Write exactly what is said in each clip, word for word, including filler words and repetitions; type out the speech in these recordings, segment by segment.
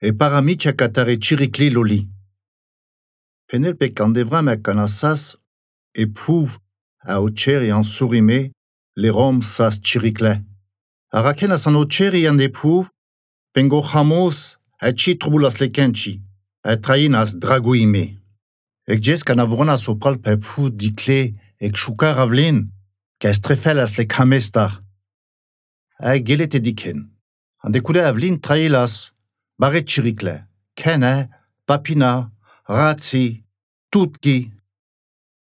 e paramicia catare ciricli loli. Penelope candevram a canassas e pouv a oceri en sourime les rom sas ciricle. A rakena san oceri an de pouv, pengo chamos a ci trubulas le kenci, a trainas draguime. Ec jes canavronas sopral pe pouv dicle ec chouka ravlin, ca estrefelas le kamestar. A gelete diken. An decoule avlin trailas, barret ciricle, kene, papina, ratzi, tutki.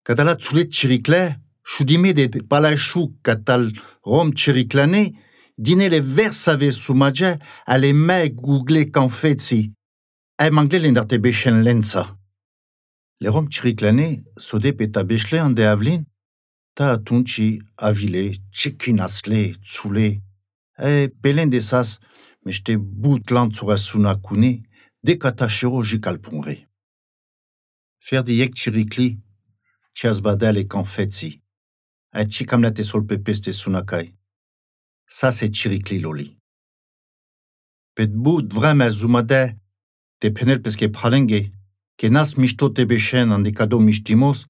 Kadala tsulet ciricle, choudime de palachou katal rom ciriclane, dine le versave soumadje a le me google kanfetsi. A mangle l'endarte bechen lensa. Le rom ciriclane, sode peta bechle an de avlin, ta atunci avile, cikinasle, tsule. E belen de sas, mește boutlant sur asuna kune, de katachero jikalpunre. Fer di yek ciricli, cias badal e kanfetsi. A cikamlate sol pepeste sunakai. Sa se ciricli loli. Pet bout vreme zumade, te penel peske pralenge, ke nas misto te bechen an de kado mistimos,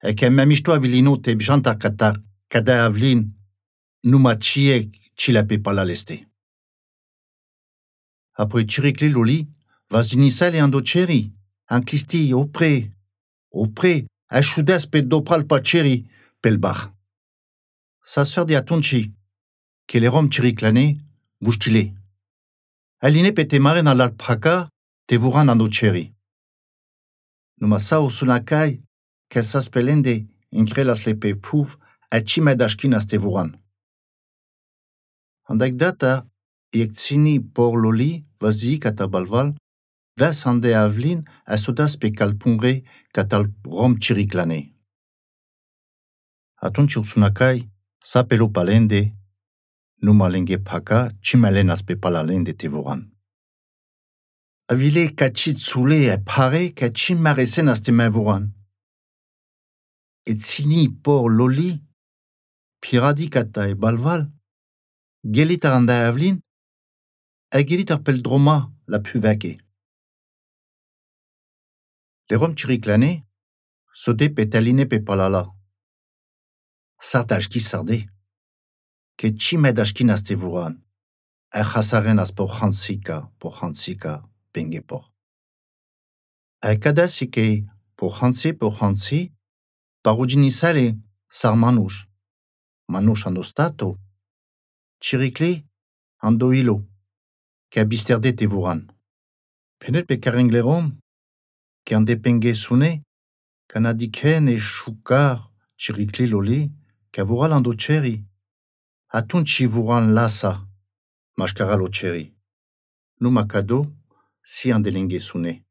e ke me misto avilino te bjanta katar, kada avlin, numa cie cilape pala leste. Apoi ciricli loli, vas inisale an doceri, an clisti opre, opre, a choudes pe dopral pa ceri, pel bar. Sa sfer di atunci, ke le rom ciriclane, boustile. Aline pe te mare na l'alpraka, te vuran an doceri. Numa sa o sunakai, ke sas pelende, increlas le pe pouv, a cimedashkin as te vuran. Andak data, iek tsini por loli, vazi kata balval, das ande avlin a sodas pe kalpunre katal rom ciriclane. Atunci usunakai, sa pelo palende, numa lenge paka, cimelenas pe palalende te voran. Avile kacit soule e pare ka cimaresen as te me voran. Et tsini por loli, piradi kata e balval, gelit ar anda avlin, a gelit ar pel droma la puveke. Le rom ciriclane, sode pe taline pe palala. Sardajki sarde, ke cimedashkin as te vuran, a chasaren as por chansika, por chansika, pengepor. A kadasi ke por chansi, por chansi, parudinisale sar manouch, manouch an ostato, ciricli an do ilo, ke abisterde te vuran. Penet pe karenglerom, ke an depenge sune, kanadiken e choukar ciricli loli, ke vural an do ceri. Atunci vuran lasa, mashkara lo ceri. Numa kado, si an delenge sune.